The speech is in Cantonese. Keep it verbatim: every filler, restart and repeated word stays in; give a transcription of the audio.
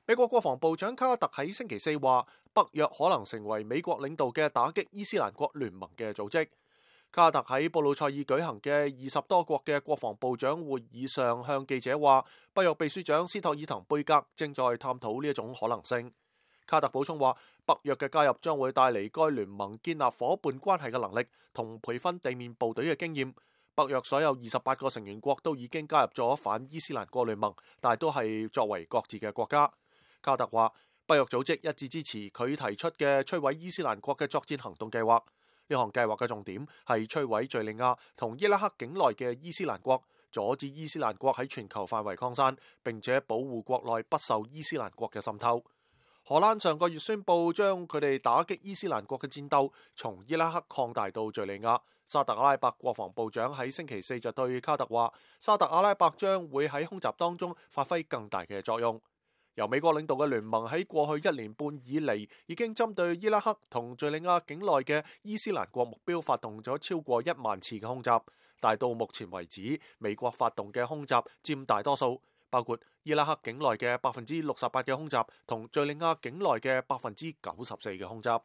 美國國防部長卡特喺星期四話，北約可能成為美國領導嘅打擊伊斯蘭國聯盟嘅組織。卡特喺布魯塞爾舉行嘅二十多國嘅國防部長會議上向記者話，北約秘書長斯托爾滕貝格正在探討呢一種可能性。卡特補充話，北約嘅加入將會帶嚟該聯盟建立伙伴關係嘅能力同培訓地面部隊嘅經驗。北約所有二十八個成員國都已經加入咗反伊斯蘭國聯盟，但係都係作為各自嘅國家。卡特話，北約組織一致支持佢提出嘅摧毀伊斯蘭國嘅作戰行動計劃。呢項計劃嘅重點係摧毀敘利亞同伊拉克境內嘅伊斯蘭國，阻止伊斯蘭國喺全球範圍擴散，並且保護國內不受伊斯蘭國嘅滲透。荷蘭上個月宣布將佢哋打擊伊斯蘭國嘅戰鬥從伊拉克擴大到敘利亞。沙特阿拉伯國防部長喺星期四就對卡特話，沙特阿拉伯將會喺空襲當中發揮更大嘅作用。由美國領導嘅聯盟喺過去一年半以嚟，已經針對伊拉克同敘利亞境內嘅伊斯蘭國目標發動咗超過一萬次嘅空襲，但係到目前為止，美國發動嘅空襲佔大多數，包括伊拉克境內嘅百分之六十八嘅空襲同敘利亞境內嘅百分之九十四嘅空襲。